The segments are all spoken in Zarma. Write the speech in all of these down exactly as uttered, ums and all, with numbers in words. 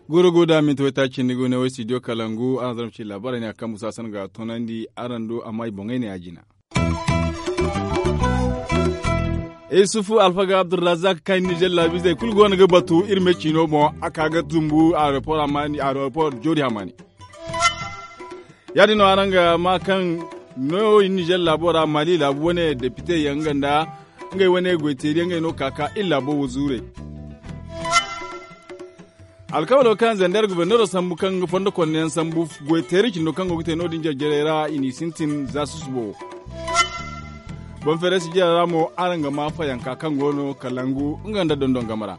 Goro go da minti waytaaci ni go ne way studio kalangu araŋ zarma ci laabaarey ne a kambu saasan ga a toonandi araŋ do amma i boŋey ne a jina. Isufu alfaga abdurrazak kaŋ nizer laabiizey kulu go no ga batu iri me ciino boŋ a ka ga zumbu aeroport joori hamaani. Ya- din no araŋ ga ma kaŋ no nizer laabo ra mali laabu wane depite yaŋ nga nda ngey wane goyteeri yaŋ ngey no ka ka iri laabo wo zuurey. Alkawalo kaŋ zander gobornero sambu kaŋ ga fondo konne yaŋ sambu goyteeri cindo kaŋ go ga te no- din jarjarey ra i n'i sintin za susubo wo. Boŋ feeray sijira ra mo araŋ ga ma fayanka kaŋ go no kalangu nga nda dondon game ra.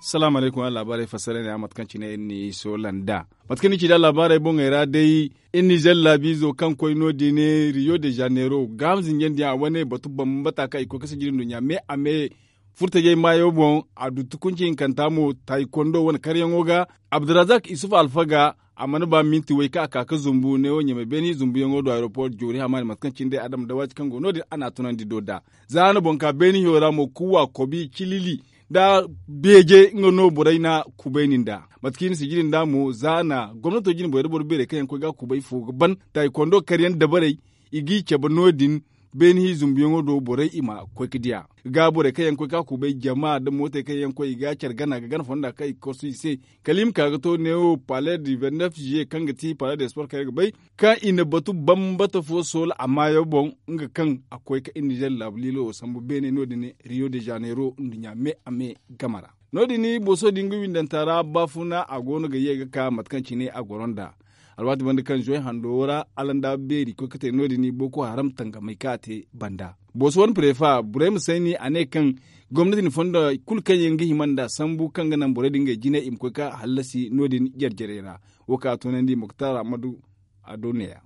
Salaamu alaykum araŋ laabaarey fassara ne a mate kaŋ cine iri n'i soola nd'a mate kaŋ ni ci nd'a laabaarey boŋey ra day. Iri nizer laabiizo kaŋ koy no- din riyo de janeiro gaaham zinjandiyaŋ a wane batu bambata kaŋ i koy ga sijiri nduɲɲa me a me furtajey maayo boŋ. A du tukunci hinkanta mo taayikondo wane karyaŋo ga abdurazak isuf alfaga a mana ba minti way kaŋ a ka ga zumbu neewo ɲamay beene zumbuyaŋo do aeroport joori hamaani mate kaŋ cine day adama dawaati kaŋ go no- din a n'a tunandi do nd'a. Za a na boŋ ka beene hiyo ra mo kuwa kobi cilili nda beeje nga no borey na kubayni nd'a. Mate kaŋ i na sijiri nd'a mo za a na gomnato jine borey nda boro beerey kaŋ yaŋ koy ga a kubay fo ga ban taayikondo karyaŋ dabarey i g'i cabe no- din. Beene hi zumbuyaŋo do borey i ma koy ga diya ga borey kaŋ yaŋ koy ga a kubay jama nda mootey kaŋ yaŋ koy i ga care gana ga gana fonda kaŋ i ga korsu i se. Kala i ma ka ga to neewo pale du ventnef juillet kaŋ ga ti pale de sport kaŋ iri ga bay kaŋ i na batu bambata fo soola a maayo boŋ nga kaŋ a koy ga iri nizer laabu liilo wo sambu beene no- din riyo de janeiro nduɲɲa me a me game ra. No- din booso din ga windanta ra baafuna a go no ga ye ga ka mate kaŋ cine a goro nd'a. Alwaati banda kaŋ zuway hando ra alanda beeri koy ga te no- din boko haram tangamay kaŋ a te banda booso wane prefa burayma sayni a ne kaŋ gomnati na fondo kulu kaŋ yaŋ ga hima nd'a sambu kaŋ ga naŋ borey din ngey jinay i ma koy ga hallasi no- din jarjarey ra. Wo kaŋ a toonandi muktar ahmadu a do neeya.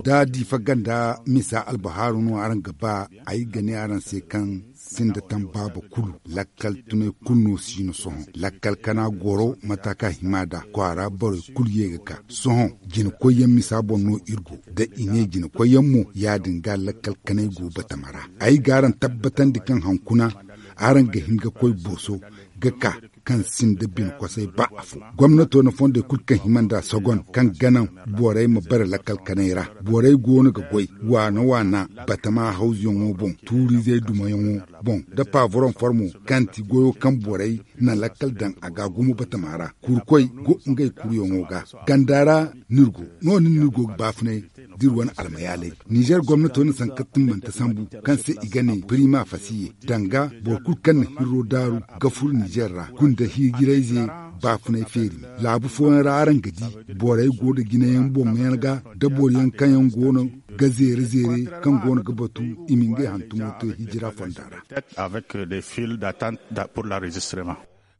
Da diifa ganda misa albahaaru no araŋ ga ba ay ga ne araŋ se kaŋ sinda tambaaba kulu lakkal tunay kulu no si no sohõ lakkal kana goro mata kaŋ a hima nd'a kwaara borey kulu ye ga ka sohõ. Jinakoyyaŋ misa boŋ no iri go da i ne jinakoyyaŋ mo ya- din ga lakkal kanay go batama ra. Ay ga araŋ tabbatandi kaŋ hankuna araŋ ga hin ga koy booso ga ka kaŋ sinda bine kosay ba afo. Gomnato na fondey kulu kaŋ hima nd'a sogon kaŋ ga naŋ borey ma bare lakkal kanay ra. Borey go no ga goy waana waana batama hawzuyaŋo boŋ tuuriizey dumayaŋo boŋ nda paaburoŋ formo kaŋ ti goyo kaŋ borey na lakkal daŋ a ga gumo batama ra. Kurkoy go ngey kuruyaŋo ga ganda ra no- din no iri go ga baafunay da iri wane almayaalay. Nizer gomnato na sanka timmante sambu kaŋ se i ga ne prima fasiye danga boro kulu kaŋ na hirro daaru ga furo nizer ra gunda hijirayze baafunay feeri. Laabu fooyaŋ ra araŋ ga di borey go nda jinayaŋ boŋyaŋ ga nda boro yaŋ kaŋ yaŋ go no ga zeere zeere kaŋ go no ga batu i ma ngey hantumo te hijira fonda ra.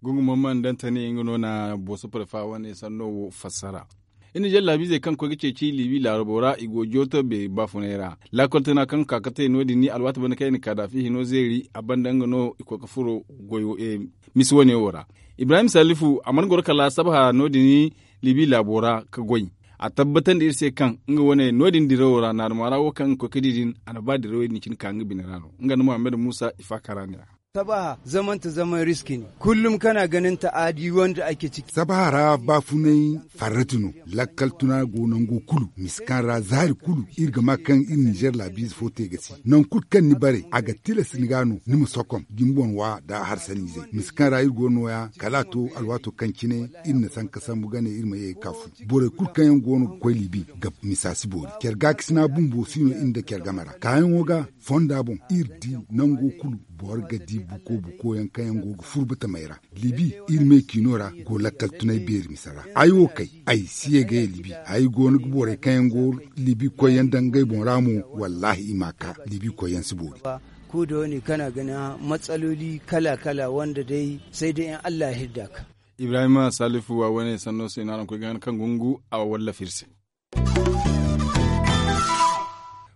Gungu mamman dantani nga no na booso prefa wane sanno wo fassara. Iri nizer laabiizey kaŋ koy ga ceeci liibi laarabo ra i go jooto beeri baafunay ra. Laakol tana kaŋ ga ka ga te no- din ni alwaati banda kaŋ i na kaadaafi hino zeeri a banda nga no i koy ga furo goyo misi wane wo ra. Ibrahim salifu a mana goro kala sabaha no- din ni liibi laabo ra ga goy. A tabbatandi iri se kaŋ nga wane no- din dirawo ra naaruma ra wo kaŋ nga koy ga di din a na ba dirawey din cine ka nga bine ra no nga nda muhammad muusa i faaka ra ne ra. Sabaha zamanta zaman riski ne. Kullum kana ganin ta'adi wanda ake ciki. Sabaha ra baafunay farrati no. Lakkal tuna go nango kulu misi kaŋ ra zaari kulu iri ga ma kaŋ iri nizer laabiize fo te ga si nangu kulu kaŋ ni bare a ga tilas ni ga no ni ma sokom da ni boŋ wa nda harsaniizey misi kaŋ ra iri go nooya kala a to alwaato kaŋ cine iri na sanka sambu ga ne iri ma ye ga ka fu. Borey kulu kaŋ yaŋ go no ga koy liibi ga misa si boori care gaakasina bumbo si no iri nda care game ra kaayaŋo ga fonda boŋ iri di nango kulu boro ga di buko buko yaŋ kaŋ yaŋ go ga furo batamey ra. Liibi iri me ciino ra go lakkal tunay beeri misa ra. Ay wo kay ay si ye ga ye liibi. Ay go no ga borey kaŋ yaŋ go liibi koyyaŋ daŋ ngey boŋ ra mo. Wallaahi i m'a ka liibi koyyaŋ si boori. Ko da wane kana gana matsaloli kala kala wanda day sai dai in allah ya hirda ka. Ibrahima salifu wa wane sanno se no araŋ koy ga han kaŋ gungu a wallafa iri se.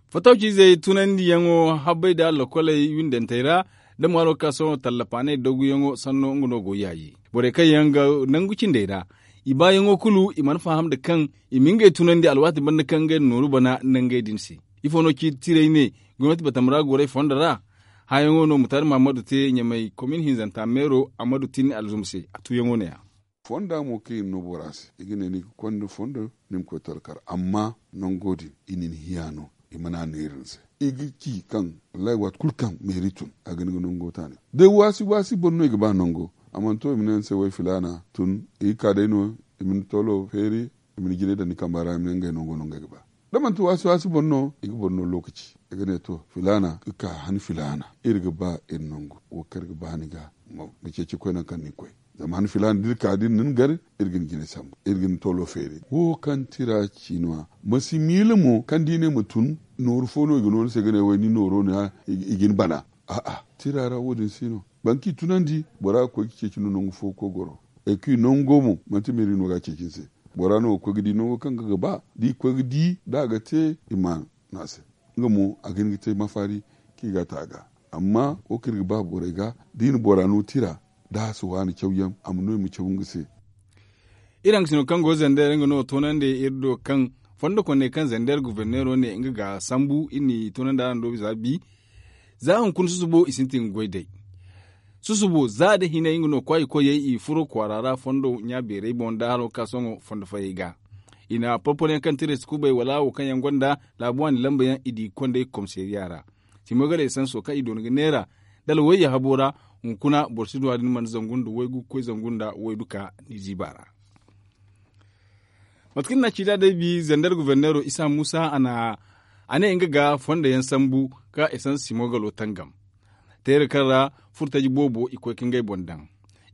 Fatawciizey tunandiyaŋo habbay nda lakoley windantey ra. Da mo a lokaso tallafaanay dooguyaŋo sanno nga no go yaayi borey kaŋ yaŋ ga nangu cindey ra. I baayaŋo kulu i mana faham nda kaŋ i ma ngey tunandi alwaati banda kaŋ ngey na nooru bana nangey din se. Ifo no ci tiray ne gomnati batamara gorey fondo ra? Hãyaŋo no mutaari mahammadu te ɲamay komin hinzanta meero ammadu tinni alzuma se a tuuyaŋo ne- ya. Fonda mo kaŋ i na no bora se i ga ne ni ga konda fondo ni ma koy talkar amma nango din i na ni hiya no. I mana neeri ni se i ga ci kaŋ wallahi waati kulu kaŋ meeri tun a ga ni ga nango taani. Day waasi waasi boro no i ga ba nango a mana to i ma ne ni se way filaana tun i ga ka day no i ma ni toolo feeri i ma ni jinay daŋ ni kamba ra i ma ne ngey nango no ngey ga ba. Da manti waasi waasi boro no i ga boro no lookaci i ga ne to filaana ga ka han filaana iri ga ba iri nangu wo kaŋ iri ga ba ni ga ma ceeci koy nangu kaŋ ni ga koy. Zama han filaana da iri ka da iri na ni gar iri ga ni jinay sambu iri ga ni toolo feeri wo kaŋ tira ci no- ya. Ma si miila mo kaŋ da i ne ma tun nooru fo no i ga no ni se ga ne way ni nooro no- ya i ga ni bana. A'a tira ra wo- din si no boro kaŋ i tunandi bora ga koy ga ceeci no nangu fo ga koy goro. Ay kaŋ i nango mo manti meeri no ga a ceeci ni se. Bora no ga koy ga di nango kaŋ ga ga ba da i koy ga di da a ga te i ma no a se. Nga mo a ga hin ga te mafaari kaŋ i ga a te a ga. Amma wo kaŋ iri ga ba borey ga da i na bora no tira da a si waani cawyaŋ a ma no i ma caw nga se. Iri hangasino kaŋ go zander nga no toonandi iri do kaŋ fondo kone kaŋ zander goforneero ne nga ga sambu iri n'i toonandi araŋ do bisa bi. Za hunkuna susubo i sintin ga goy day. Susubo za da hinay nga no kwaayi koyey i furo kwaara ra fondo ɲa beerey boŋ da haro ka sohõ fondo fayey ga. I na porporo yaŋ kaŋ ti reesi kubay wala wo kaŋ yaŋ gonda laabu waani lamba yaŋ i di ga konda i komiseeriya ra. Simoy ga da esanso kaŋ i doona ga neera dala wayye habo ra. Hunkuna boro si du a din mana zangu nda waygu ga koy zangu nda waydu ka ni ziiba ra. Mate kaŋ ni na a ci da day bi zander goforneero isa muusa a ne nga ga fondo yaŋ sambu ka esans simo galo tangam. Teera kaŋ ra furtaji boobo i koy ka ngey boŋ daŋ.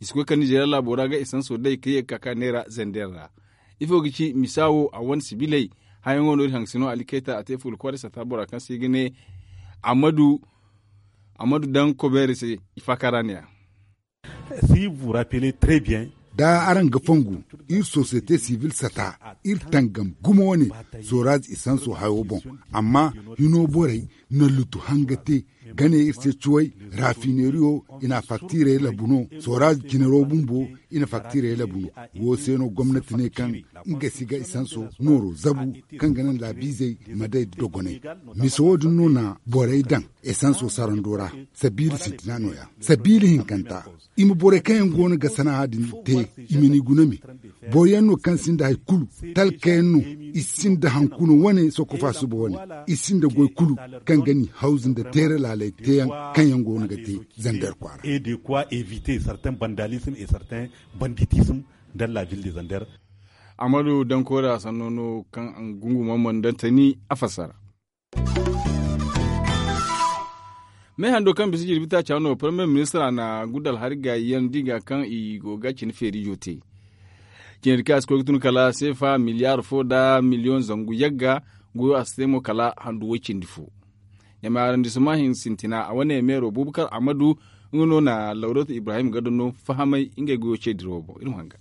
I si koy kala nizeeriya laabo ra ga esanso day ka ye ga ka ka neera zander ra. Ifo ga ci misa wo a wane sibiley? Hãyaŋo no iri hangasino ali kayta a te fuula kwaaray sata bora kaŋ se i ga ne ammadu daŋ kobeere se. I faaka ra ne- ya. Si vous rappelez très bien. Da araŋ ga fongu iri sosiyete sibil sata iri tangam gumo wane soraz isanso hayo boŋ. Amma hino borey na lutu hanga te ga ne iri se cuway rafineriyo i na faktirey labu no soraz jinaro bumbo i na faktirey labu no. Wo se no gomnati ne kaŋ nga si ga isanso nooro zabu kaŋ ga naŋ laabiizey ma day dogonay. Mise wo- din no na borey daŋ esanso sarando ra. Sabiila sintina no- ya sabiila hinkanta. I ma borey kaŋ yaŋ go no ga sanaha din te i ma ni guna me. Boro yaŋ no kaŋ sinda hari kulu talka yaŋ no. I sinda hankuno wane sokofa suba wane. I sinda goy kulu kaŋ ga ni hawzu nda teera laaley teeyaŋ kaŋ yaŋ go no ga te zander kwaara. Et de quoi eviter certains bandalism et certains banditism dans la ville de zander. Amadu dankoora sanno no kaŋ a ga gungu mamman dantani a fassara. Me hando kaŋ bisa jirbi taaca no parmiye ministra na gudal hari gaayi yaŋ di ga kaŋ i go ga cine feerijo te. Cine di kaŋ a si koy ga tun kala seefa miliyaar fo nda miliyoŋ zangu yagga. Goyo a si te mo kala handu way cindi fo. Ɲamay arandisuma hinsintina a wane meero bubakar amadu nga no na lawratu ibrahim gado no fahamay ngey goyo ce dirawo boŋ iri ma hanga.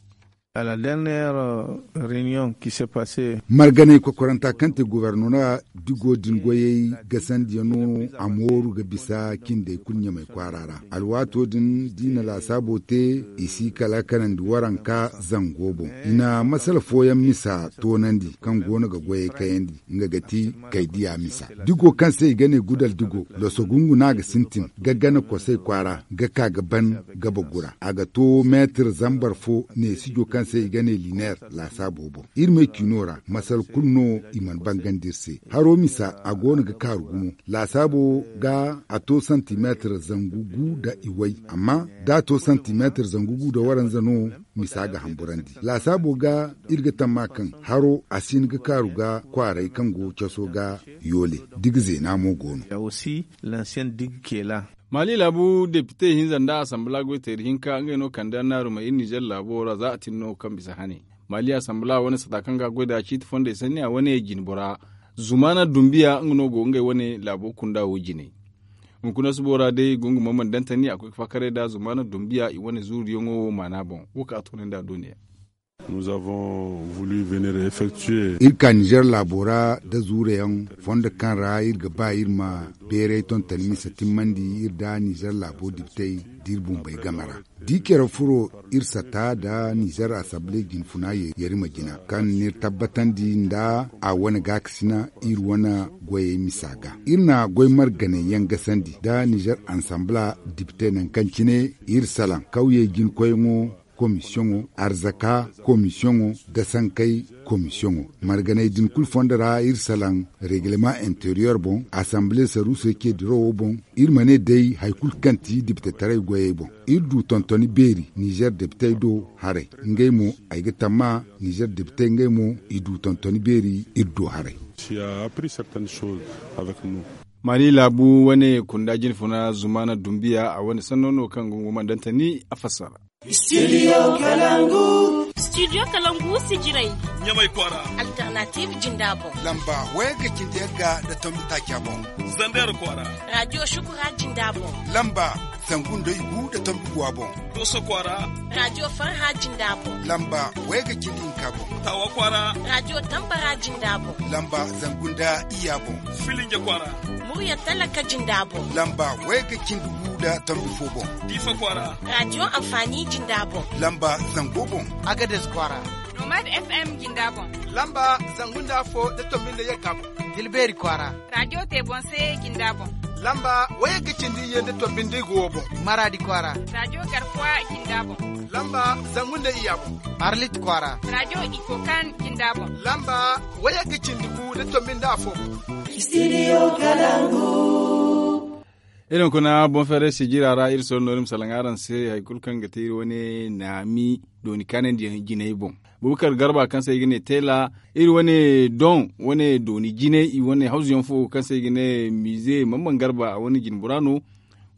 Marganey kokoranta kaŋ te gubernora digo din goyey gasandiyaŋ no a mooru ga bisa cindey kulu ɲamay kwaara ra. Alwaato din da i na laasaabo te i si kala kanandi waranka zango boŋ. I na masala fooyaŋ misa toonandi kaŋ go no ga goyey kayandi. Nga ga ti kaydiya misa digo kaŋ se i ga ne gudal digo loso gungu no a ga sintin ga gana kosay kwaara ga ka ga ban gabagu ra a ga to meetir zambar fo neesijo kaŋ se i ga ne lineer. Laasaabo boŋ iri me ciino ra masal kulu no i mana bangandi iri se. Haro misa a go no ga kaaru gumo. Laasaabo ga a to santimeetir zangu gu nda iway amma da a to santimeetir zangu gu nda waranza no. Misa ga hamburandi laasaabo ga iri ga tamma kaŋ haro a si hin ga kaaru ga kwaaray kaŋ go caso ga yoole. Diga zeena mo go no. Maali laabu depite hinza nda asanbala goyteeri hinka ngey no kande annaarumey iri nizer laabo ra za a tin no kaŋ bisa hane. Maali asanbala wane sata kaŋ ga a goy nd'a ciiti fondey sanni a wane jinbora zumaana dumbiya nga no go ngey wane laabo kunda wo jine. Hunkuna subo ra day gungu mamman dantani a koy ga faakaray nd'a zumaana dumbiya i wane zuuriyaŋo wo maana boŋ wo kaŋ a toonandi a dooniya. Iri ka nizer laabo ra nda zuure yaŋ fondo kaŋ ra iri ga ba iri ma beeray tontoni mise timmandi iri nda nizer laabo dibitey da iri bumbey game ra. Da i care furo iri sata nda nizer asabli jinfuna yarima jina kaŋ n'iri tabbatandi nda a wane gaakasina iri wane goyey misa ga. Iri na goy marganay yaŋ gasandi nda nizer ansambla dibitey nangu kaŋ cine iri salaŋ kawyey jinkoyyaŋo, komisiyoŋo, arzaka komisiyoŋo, dasankey komisiyoŋo. Marganey din kulu fondo ra iri salaŋ regleman interiyer boŋ, asamble saruusey ce dirowo boŋ. Iri ma ne day hari kulu kaŋ ti dibitetaray goyey boŋ iri du tontoni beeri nizer dibitey do haray. Ngey mo ay ga tamma nizer dibitey ngey mo i du tontoni beeri iri do haray. Mali laabu wane kunda jinfuna zumana dumbiya a wane sanno no kaŋ ga nguma dantani a fassara. Studio kalangu. Studio kalangu sijiray. Ɲamay kwaara. Alternative jinda boŋ. Lamba waya ga cindi yagga da tombi taaca boŋ. Zander kwaara. Radio shukura jinda boŋ. Lamba zangu nda igu da tombi guwa boŋ. Doso kwaara. Radio farha jinda boŋ. Lamba waya ga cindi hinka boŋ. Tawa kwaara. Radio tambara jinda boŋ. Lamba zangu nda iya boŋ. Filinja kwaara. Murya talaka jinda boŋ. Lamba waya ga cindi gu da tombi fo boŋ. Diifa kwaara. Radio amfani jinda boŋ. Lamba zango boŋ. Agades kwaara. Nomad fm jinda boŋ. Lamba zangu nda afo da tombi nda yagga boŋ. Tilbeeri kwaara. Radio te boŋ se jinda boŋ. Lamba waya ga cindi iyye nda tombi nda igu wo boŋ. Maradi kwaara. Radio garkuwa jinda boŋ. Lamba zangu nda iya boŋ. Arlit kwaara. Radio ikokan jinda boŋ. Lamba waya ga cindi gu da tombi nda afo boŋ. Studio kalangu. Iri ma kuna boŋ feeray sijira ra iri soro no iri ma salaŋ araŋ se hari kulu kaŋ ga te iri wane naami dooni kaanandi jinay boŋ. Bubakar garba kaŋ se i ga ne teela iri wane doŋ wane dooni jinay i wane hawzu yaŋ fo kaŋ se i ga ne mize mamman garba a wane jinbura no.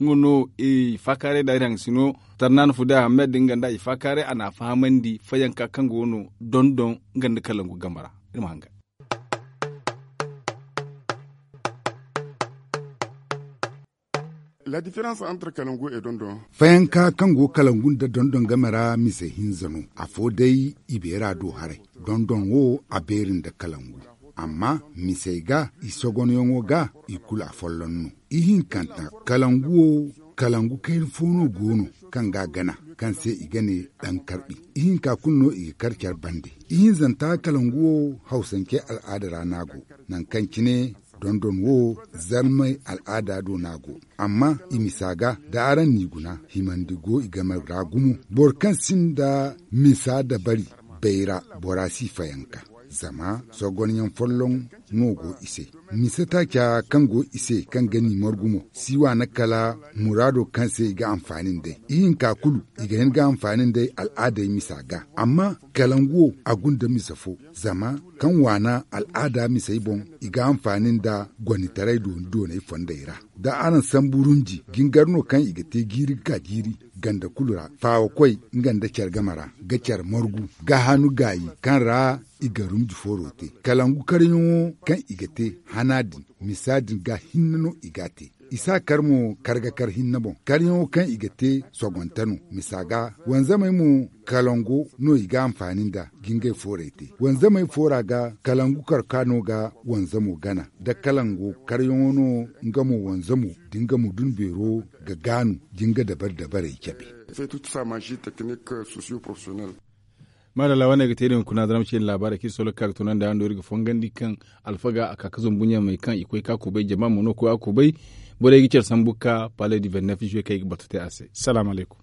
Nga no i faakaaray da iri haŋ sino tarnaana fuda ahmed nga nda i faakaaray a n'a fahamandi fayanka kaŋ go no doŋ-doŋ nga nda kalangu game ra. Iri ma hanga. La différence entre kalangu et dondon. Fayanka kaŋ go kalangu nda dondon game ra mise hinza no. Afo day i beera do haray. Dondon wo a beeri nda kalangu. Amma misey ga i sogonyaŋo ga i kulu afolloŋ no. Ihinkanta kalangu wo kalangu kayna fo no go no kaŋ ga a gana kaŋ se i ga ne ɗan karɓi. Ihinka kulu no i ga kar care bande. Ihinzanta kalangu wo hawsancey al'aada ra no a go. Nangu kaŋ cine dondon wo zarmey al'aada do no a go. Amma i misa ga da araŋ n'i guna himandi go i game ra gumo. Boro kaŋ sinda misa dabari bayra bora si fayanka. Zama sogonyaŋ folloŋ no go i se. Mise taaca kaŋ go i se kaŋ ga ni margu mo si waana kala muraado kaŋ se i ga anfaani nd'ey. Ihinka kulu i ga hin ga anfaani nd'ey al'aadey misa ga. Amma kalangu wo a gunda mise fo. Zama kaŋ waana al'aada misey boŋ i ga anfaani nda gonitaray dooni dooney fondey ra. Da araŋ sambu runji jingar no kaŋ i ga te jiiri ga ka jiiri ganda kulu ra faawakoy nga nda care game ra ga care margu ga hanu gaayi kaŋ ra i ga rumji fooro te. Kalangu karyaŋo kaŋ i ga te hana din misa din ga hinne no i g'a te. I s'a kar mo kar ga kar hinne boŋ. Karyaŋo kaŋ i ga te sogonte no misa ga wanzamey mo kalango no i ga anfaani nda jingay foorey te. Wanzamey foora ga kalangu karka no ga wanzamo gana da kalango karyaŋo no nga mo wanzamo da nga mudun beero ga gaanu jinga dabari dabarey cabe. Maadalla wane ga te iri hunkuna zarma cine laabaarey kaŋ iri solo ga ka ga tunandi araŋ do iri ga fongandi kaŋ alfaga a ka ga zumbu ɲamey kaŋ i koy ka kubay jama mo no koy a kubay. Borey ga care sambu ka palais du vingt-neuf juillet kaŋ i ga batu te a se. Salaamu alaykum.